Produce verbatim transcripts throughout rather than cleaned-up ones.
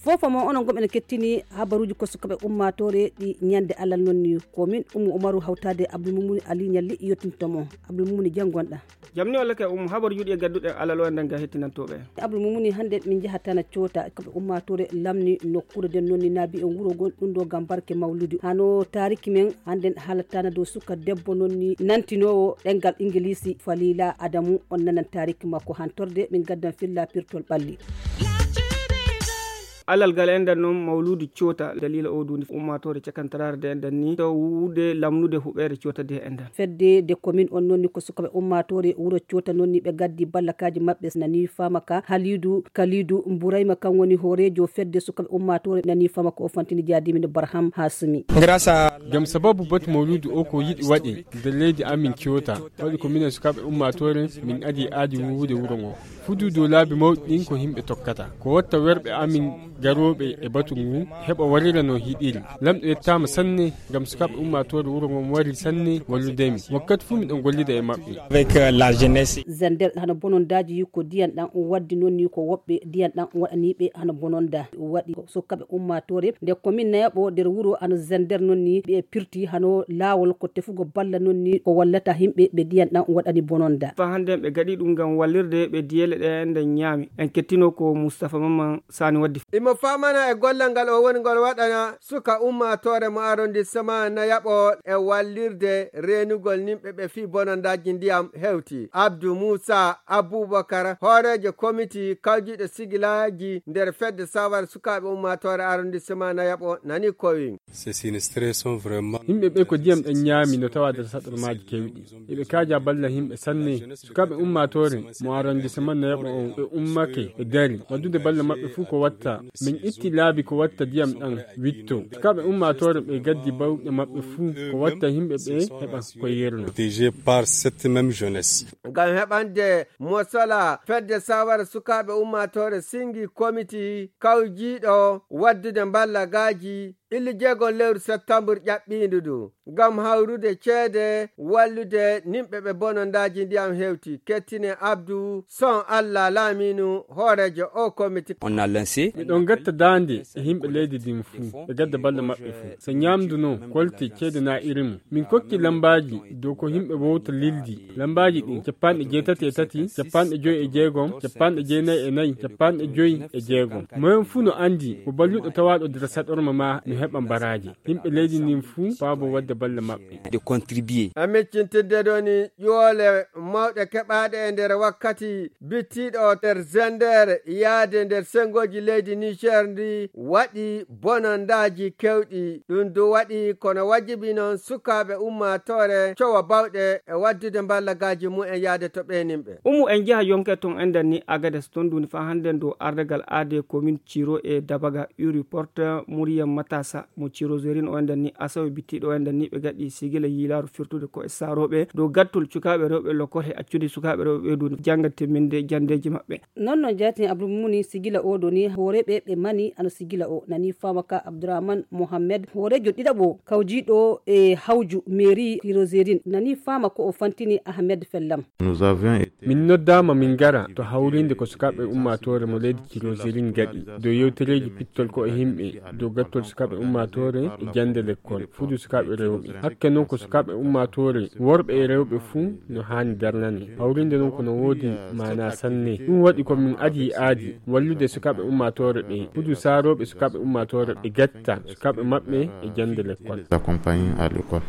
Fofo mo onon gom ene kettini habaruuji ko sukaɓe ummaatoore ɗi ñande alal noon ni ko min Ummu Umaru hawtaade Abdul Mumuni Ali Ñalli yottinto mo. Abdul Mumuni, janngonɗa. Jam ni walla kay Ummu, habaruuji ɗi e gadduɗen alal o e nden ga hettinantooɓe. Abdul Mumuni, hannde min njaha tana coota sukaɓe ummaatoore lamni nokkuure nden noon ni naabi en wuro ngon ɗum ɗo ngam barke mawludu. Hano taariki men hannde haalatana dow suka debbo noon ni nantinoowo ɗemngal Ingiliisi Falila Adamu. On nanan taariki makko hantorde min gaddan filla pirtol ɓalli. Alal gal enɗan noon mawluudu coota daliila o duundi ummaatoore cakantaraare de enɗan ni to wuude lamnude huɓeere coota de enɗan. Fedde de komin on noon ni ko sukaɓe ummaatoore wuro coota noon ni ɓe gaddi ballakaaji maɓɓe nani faama ka Haliidu Kaliidu Mburayma kan woni hooreejo fedde sukaɓe ummaatoore nani faama ko o fantini jaadimino Barham Hasumi. Ngam sababu batu mawluudu o ko yiɗi waɗe nder leydi amin coota waɗi ko minen sukaɓe ummaatoore min adi aadi wuude wuro ngo. Fudu dow laabi mawɗi ɗin ko yimɓe tokkata. Ko watta werɓe amin garooɓe e batu ngu heɓa warira no hiɗiri. Lamɗo yettaama sanne ngam sukaaɓe ummaatoore wuro ngon wari sanne wallude mi. Wakkati fuu miɗon gollida e maɓɓe. Avec, euh, la jeunesse. Zender hano bonondaaji ko diyan ɗan waddi noon ni ko woɓɓe diyan ɗan waɗaniiɓe hano bononda. Waɗi ko sukaaɓe ummaatoore nde komin nayaɓo nder wuro hano Zender noon ni ɓe pirti hano laawol ko tefugo balla noon ni ko wallata yimɓe ɓe diyan ɗan waɗani bononda. Fa hannde ɓe gaɗi ɗum ngam wallirde ɓe diyeele ɗe nden ñaami. En kettino ko Mustapha Mamman Sani waddi. Imo famana e gollal ngal o woni ngol waɗana suka ummaatoore mo arrondissement nayaɓo e wallirde reenugol nimɓe ɓe fii bonondaaji ndiyam hewti. Abdou Moussa Aboubacar, hooreejo komiti kawjiiɗo sigilaaji nder fedde sawar sukaaɓe ummaatoore arrondissement nayaɓo nani kowi. Ces sinistrés sont vraiment. Yimɓe ɓe ko ndiyam ɗan ñaami no tawa nder saɗormaaji kewɗi. Eɓe kaaja balla yimɓe sanne. Sukaaɓe ummaatoore mo arrondissement nayaɓo on ɓe ummake ɓe dari. Waddude balla maɓɓe fuu ko watta. Min itti laabi ko watta ndiyam ɗan witto. Sukaaɓe ummaatoore ɓe gaddi bawɗe maɓɓe fuu ko watta yimɓe ɓe heɓa ko yerno. Protégés par cette même jeunesse. Ngam heɓande mosola fedde sawara sukaaɓe ummaatoore singi komiti kawjiiɗo waddude mballagaaji illi jeegom lewru septambur ƴaɓɓiindu ndu ngam hawrude ceede wallude nimɓe ɓe bonondaaji ndiyam hewti. Kettine Abdou Son Allah Laaminu hooreejo o komiti. On a lancé. Miɗon gatta daande e yimɓe leydi ndin fuu ɓe gadda balle maɓɓe fuu. So ñaamdu no kolte ceede na iri mum. Min kokki lambaaji dow ko yimɓe wowta lildi. Lambaaji ɗin capanɗe jeetati e tati, capanɗe joyi e jeegom, capanɗe jeenayi e nayi, capanɗe joyi e jeegom. Moyen fuu no anndi ko balluɗo tawaaɗo nder saɗorma ma no heɓa mbaraaje. Yimɓe leydi ndin fuu paabo wadde balle maɓɓe. De contribuer. A miccintinde ɗoni ƴoole mawɗe keɓaaɗe e nder wakkati bittiiɗo nder Zender yaade nder senngoji leydi Niger ndi waɗi bonondaaji kewɗi. Ɗum du waɗi kono wajibi noon sukaaɓe ummaatoore cowa bawɗe e waddude mballagaaji mumen yaade to ɓeeninɓe. Umu en njaha yonke ton enɗan ni Agades ton duni fa hannden dow ardagal aade komin Ciro e Dabaga Uri Porte Muriyam Matasa mo Ciro Zerin o enɗan ni asawe bittiiɗo o enɗan ni ɓe gaɗi sigila yiilaaru firtude ko e saarooɓe dow gattol cukaaɓe rewɓe lokol he accude sukaaɓe rewɓe ɓe duni jannga timminde janndeeji maɓɓe. Noon no jaatin Abdul Mumuni sigila o doni hooreeɓe ɓe mani ano sigila o nani faama ka Abdourahmane Mohamed hooreejo ɗiɗaɓo kawjiiɗo e hawju mairie Ciro Zerin nani faama ko o fantini Ahmed Fellam. Nous avions été. Min noddaama min ngara to hawrinde ko sukaaɓe ummaatoore mo leydi Ciro Zerin gaɗi dow yewtereeji pittol ko e yimɓe dow gattol sukaaɓe ummaatoore e jannde lekkol fudu sukaaɓe rewɓe. Hakke noon ko sukaaɓe ummaatoore worɓe e rewɓe fuu no haani darnane. Hawrinde noon ko no woodi maanaa sanne. Ɗum waɗi ko min adii aadi wallude sukaaɓe ummaatoore ɓe. Fudu saarooɓe sukaaɓe ummaatoore ɓe gatta sukaaɓe maɓɓe e jannde lekkol. Accompagné à l'école.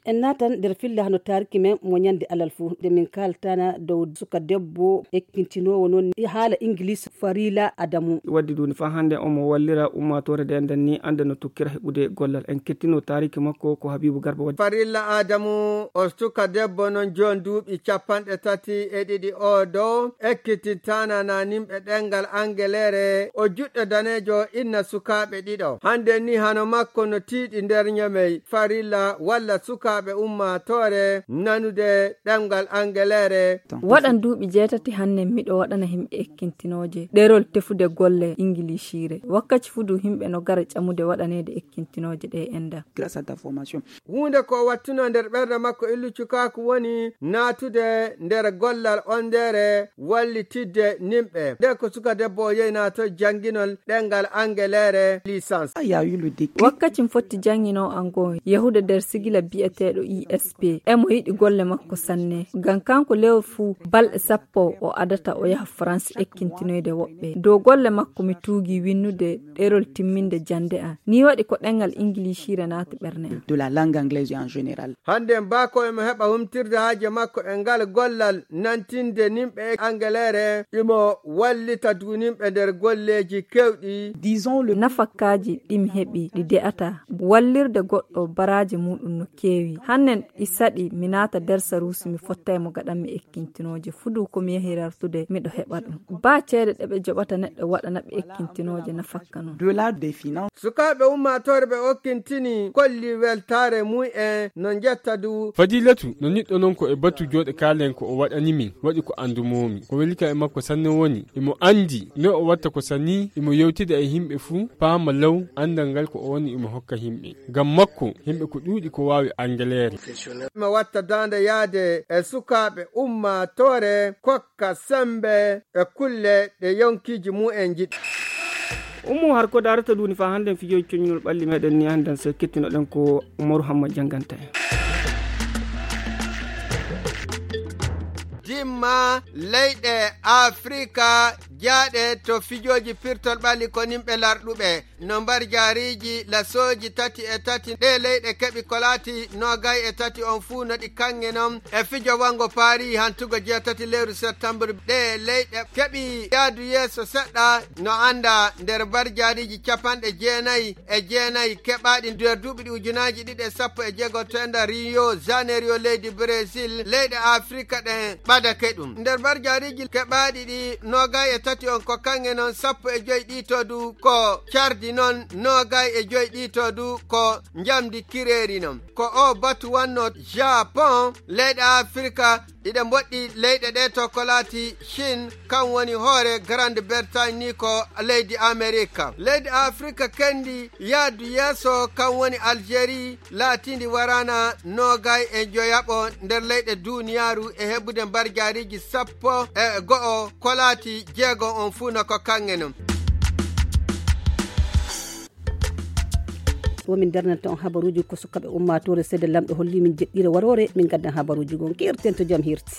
En naatan nder filla hano taariki men mo ñande alal fuu nde min kaaltana dow suka debbo ekkintinoowo noon haala Ingilis Farila Adamu. Waddi duuni faa hannde omo wallira ummaatoore nde nden ni annda no tokkira heɓude gollal. En kettino taariki makko ko Habibu Garba waddi. Farilla Adamu o suka debbo noon jooni duuɓi capanɗe tati e ɗiɗi o dow ekkitintaana naninɓe ɗemngal Angeleere o juɗɗo daneejo inna sukaaɓe ɗiɗo. Hannde ni hano makko no tiiɗi nder ñamey farilla walla suka Ɓe ummaatoore nanude ɗemngal Angeleere. Waɗan duuɓi jeetati hannen miɗo waɗana himɓe ekkintinooje ɗerol tefude golle Ingiliishiire. Wakkaci fu du himɓe no gara ƴamude waɗaneede ekkintinooje ɗe enda. Grâce à ta formation. Huunde ko wattuno nder ɓernde makko illu cukaaku woni naatude nder gollal ondeere wallitidde nimɓe. Nde ko suka debbo o yeynaa to jannginol ɗemngal Angeleere licence. Ah, il y a eu le déclic. Wakkati mi fotti jannginoo an goo, yahude nder sigila bi'eteeɗo I S P. Emo yiɗi golle makko sanne. Ngam kanko lewru fuu balɗe sappo o adata o yaha France ekkintinoyde woɓɓe. Dow golle makko mi tuugi winnude ɗerol timminde jannde an. Nii waɗi ko ɗemngal Ingiliishiire naati ɓernde an. De la langue anglaise en général. Hannde mbaa ko emo heɓa humtirde haaje makko e ngal gollal nantinde nimɓe e Angeleere, imo wallita duunimɓe nder golleeji keewɗi. Disons le. Nafakkaaji ɗi mi heɓi ɗi de'ata wallirde goɗɗo baraaji muuɗum no keewi. Hannen ɗi saɗi mi naata nder saruusi mi fottay mo gaɗanmi ekkintinooje. Fuu du ko mi yahi rartude miɗo heɓa ɗum. Baa ceede ɗe ɓe joɓata neɗɗo waɗana ɓe ekkintinooje nafakka non. De la définance. Sukaaɓe ummaatoore ɓe okkintini kolli weltaare mum en no njetta du. Fadilatu no niɗɗo non ko e batu jooɗe kaalen ko o waɗani min, waɗi ko anndumoomi. Ko weli kam e makko sanne woni, imo anndi no o watta ko sani, imo yewtida e himɓe fuu, paama law, anndal ngal ko o woni imo hokka himɓe. Ngam makko, himɓe ko ɗuuɗi ko waawi Angeleere. Imo watta daande yaade e sukaaɓe ummaatoore, kokka sembe e kulle ɗe yonkiiji mum en njiɗi. Ummu har ko darata duuni faa hannden fijooji coñinol ɓalli meɗen ni hannden so kettinoɗen ko Umaru Hamma jannganta en. Dimma leyɗe Afrika jaaɗe to fijooji pirtol ɓalli ko nimɓe larɗuɓe. No mbar jaariiji lasooji tati e tati ɗe leyɗe keɓi ko laati noogay e tati on fuu no ɗi kaŋŋe non e fijo wango Paris hantugo jeetati lewru septembre. Ɗe leyɗe keɓi yaadu yeeso seɗɗa no annda nder mbar jaariiji capanɗe jeenayi e jeenayi keɓaaɗi nder duuɓi ɗi ujunaaji ɗiɗi e sappo e jeego to enda Rio Janeiro leydi Brésil, leyɗe Afrika ɗen ɓadake ɗum. Nder mbar jaariiji keɓaaɗi ɗi noogay e tati on ko kaŋŋe non sappo e joy ɗi to du ko cardi non noogay e joy ɗi to du ko njamdi kireeri non. Ko o batu wanno Japon, leyɗe Afrika iɗe mboɗɗi leyɗe ɗe to ko laati Chine, kan woni hoore Grande Bretagne ni ko leydi Amerika. Leydi Afrika kendi yaadu yeeso kan woni Algérie, laatindi warana noogay e joyaɓo nder leyɗe duuniyaaru e heɓude mbar jaariiji sappo e go'o ko laati jeego on fuu no ko kaŋŋe non. Womin darnanta on habaruuji ko sukaɓe ummaatoore seede lamɗo holli min jeɗɗire waroore min gaddan habaruuji gon kirten to jam hirti.